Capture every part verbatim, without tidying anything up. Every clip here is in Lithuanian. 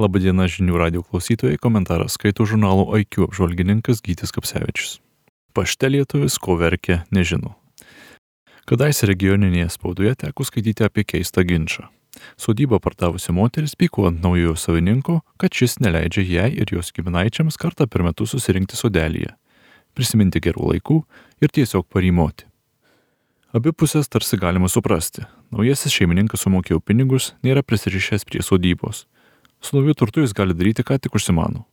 Labadiena žinių radijo klausytojai, komentarą skaito žurnalo I Q apžvalgininkas Gytis Kapsevičius. Pašte lietuvis, ko verkia, nežino. Kadaise regioninėje spaudoje teko skaityti apie keistą ginčą. Sodybą pardavusi moteris pyko ant naujojo savininko, kad šis neleidžia jai ir jos giminaičiams kartą per metus susirinkti sodelyje, prisiminti gerų laikų ir tiesiog parymoti. Abi pusės tarsi galima suprasti. Naujasis šeimininkas sumokėjo pinigus, nėra prisirišęs prie sodybos. Su nauju turtu jis gali daryti, ką tik užsimano.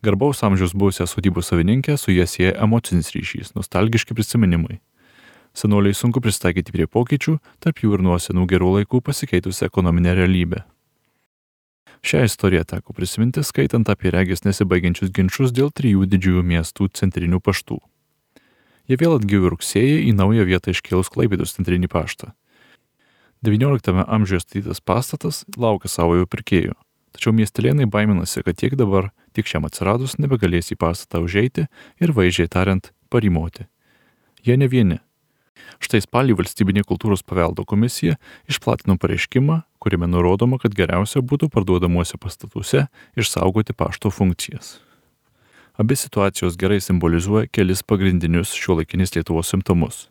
Garbaus amžiaus buvusią sodybos savininkę su jie sieja emocinis ryšys, nostalgiški prisiminimai. Senoliai sunku pristaikyti prie pokyčių, tarp jų ir nuo senų gerų laikų pasikeitusi ekonominė realybė. Šią istoriją teko prisiminti, skaitant apie regis nesibaigiančius ginčus dėl trijų didžiųjų miestų centrinių paštų. Jie vėl atgyjo rugsėjį į naują vietą iškėlus Klaipėdos centrinį paštą. devynioliktame amžiuje statytas pastatas laukia savojo pirkėjo. Tačiau miestelėnai baiminasi, kad tiek dabar, tiek šiam atsiradus nebegalės į pastatą užeiti ir vaizdžiai tariant parymoti. Jie ne vieni. Štai spalį Valstybinė kultūros paveldo komisija išplatino pareiškimą, kuriame nurodoma, kad geriausia būtų parduodamuose pastatuose išsaugoti pašto funkcijas. Abi situacijos gerai simbolizuoja kelis pagrindinius šiuolaikinės Lietuvos simptomus.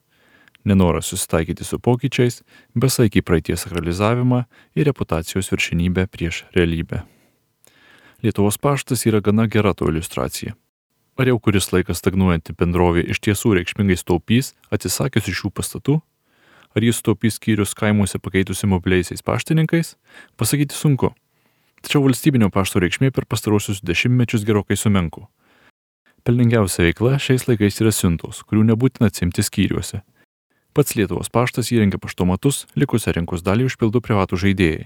Nenoras susitaikyti su pokyčiais, besaikį praeities sakralizavimą ir reputacijos viršenybę prieš realybę. Lietuvos paštas yra gana gera to iliustracija. Ar jau kuris laikas stagnuojanti bendrovė iš tiesų reikšmingai staupys, atsisakius iš šių pastatų? Ar jis staupys skyrius kaimuose pakeitusi mobiliaisiais paštininkais? Pasakyti sunku. Tačiau valstybinio pašto reikšmė per pastarosius dešimtmečius gerokai sumenko. Pelningiausia veikla šiais laikais yra siuntos, kurių nebūtina atsimti skyriuose. Pats Lietuvos paštas įrengia paštomatus, likusią rinkos dalį užpildo privatų žaidėjai.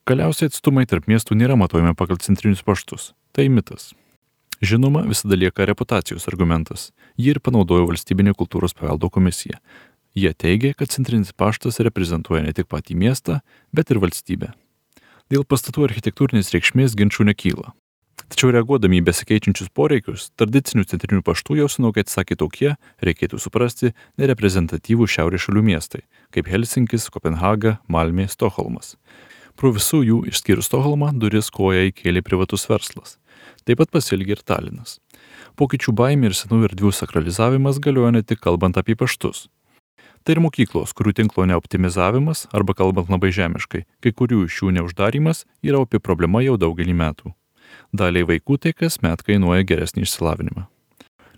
Galiausiai atstumai tarp miestų nėra matuojami pagal centrinius paštus. Tai mitas. Žinoma, visada lieka reputacijos argumentas. Jį ir panaudojo Valstybinė kultūros paveldo komisija. Jie teigia, kad centrinis paštas reprezentuoja ne tik patį miestą, bet ir valstybę. Dėl pastatų architektūrinės reikšmės ginčų nekyla. Tačiau reaguodami į besikeičiančius poreikius, tradicinių centrinių paštų jau senokai atsakė tokie, reikėtų suprasti, nereprezentatyvų šiaurės šalių miestai, kaip Helsinkis, Kopenhaga, Malmė, Stokholmas. Pro visų jų, išskyrus Stokholmą, duris koja įkėlė privatus verslas. Taip pat pasielgė ir Talinas. Pokyčių baimė ir senų erdvių sakralizavimas galioja ne tik kalbant apie paštus. Tai ir mokyklos, kurių tinklo neoptimizavimas, arba kalbant labai žemiškai, kai kurių iš jų neuždarimas yra opi problema jau daugelį metų. Daliai vaikų tai kasmet kainuoja geresnį išsilavinimą.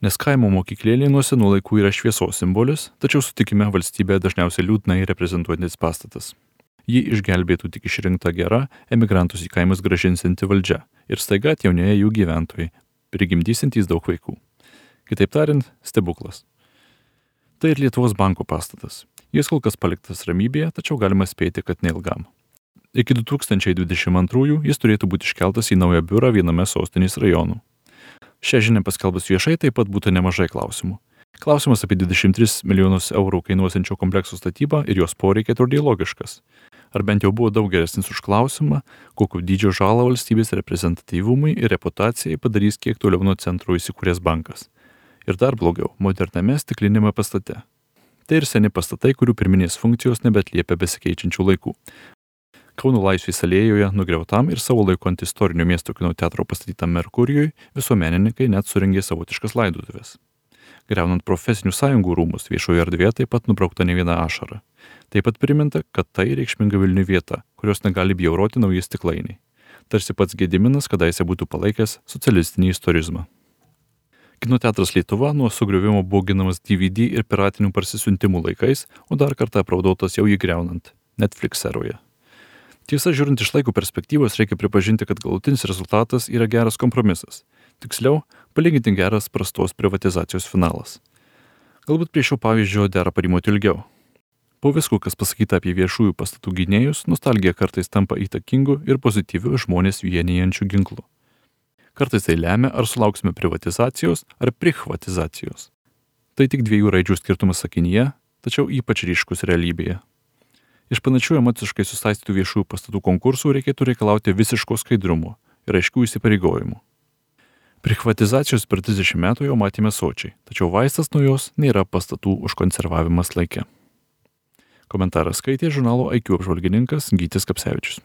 Nes kaimo mokyklėlė nuo senų laikų yra šviesos simbolis, tačiau sutikime valstybė dažniausiai liūdnai reprezentuojantis pastatas. Ji išgelbėtų tik išrinkta gera, emigrantus į kaimus grąžinsianti valdžia ir staiga atjaunėja jų gyventojai, prigimdysintys daug vaikų. Kitaip tariant, stebuklas. Tai ir Lietuvos banko pastatas. Jis kol kas paliktas ramybėje, tačiau galima spėti, kad neilgam. Iki du tūkstančiai dvidešimt antrųjų jis turėtų būti iškeltas į naują biurą viename sostinės rajonų. Šią žinią paskelbus viešai taip pat būtų nemažai klausimų. Klausimas apie dvidešimt tris milijonus eurų kainuosiančio komplekso statybą ir jos poreikiai atrodė logiškas. Ar bent jau buvo daug geresnis už klausimą, kokio dydžio žalą valstybės reprezentatyvumui ir reputacijai padarys kiek toliau nuo centro įsikūręs bankas. Ir dar blogiau, moderniame stiklinėme pastate. Tai ir seni pastatai, kurių pirminės funkcijos nebeatliepia besikeičiančių laikų. Kauno Laisvės alėjoje nugriautam ir savo laiku ant istorinio miesto kino teatro pastatytam Merkurijui visuomenininkai net surengė savotiškas laidotuvės. Griaunant profesinių sąjungų rūmus viešoje erdvėje taip pat nubraukta ne viena ašara. Taip pat priminta, kad tai reikšminga Vilniui vieta, kurios negali bjauroti nauji stiklainiai. Tarsi pats Gediminas kadaise būtų palaikęs socialistinį istorizmą. Kino teatras Lietuva nuo sugriuvimo buvo ginamas D V D ir piratinių parsisiuntimų laikais, o dar kartą apraudotas jau jį griaunant Netflix eroje. Tiesa, žiūrint iš laiko perspektyvos, reikia pripažinti, kad galutinis rezultatas yra geras kompromisas. Tiksliau, palyginti geras prastos privatizacijos finalas. Galbūt prie šio pavyzdžio dera parymoti ilgiau. Po visko, kas pasakyta apie viešųjų pastatų gynėjus, nostalgija kartais tampa įtakingu ir pozityviu žmonės vienijančių ginklu. Kartais tai lemia, ar sulauksime privatizacijos ar prichvatizacijos. Tai tik dviejų raidžių skirtumas sakinyje, tačiau ypač ryškus realybėje. Iš panašių emociškai susaistytų viešųjų pastatų konkursų reikėtų reikalauti visiško skaidrumo ir aiškių įsipareigojimų. Prichvatizacijos per trisdešimt metų jau matėme sočiai, tačiau vaistas nuo jos nėra pastatų užkonservavimas laike. Komentarą skaitė žurnalo I Q apžvalgininkas Gytis Kapsevičius.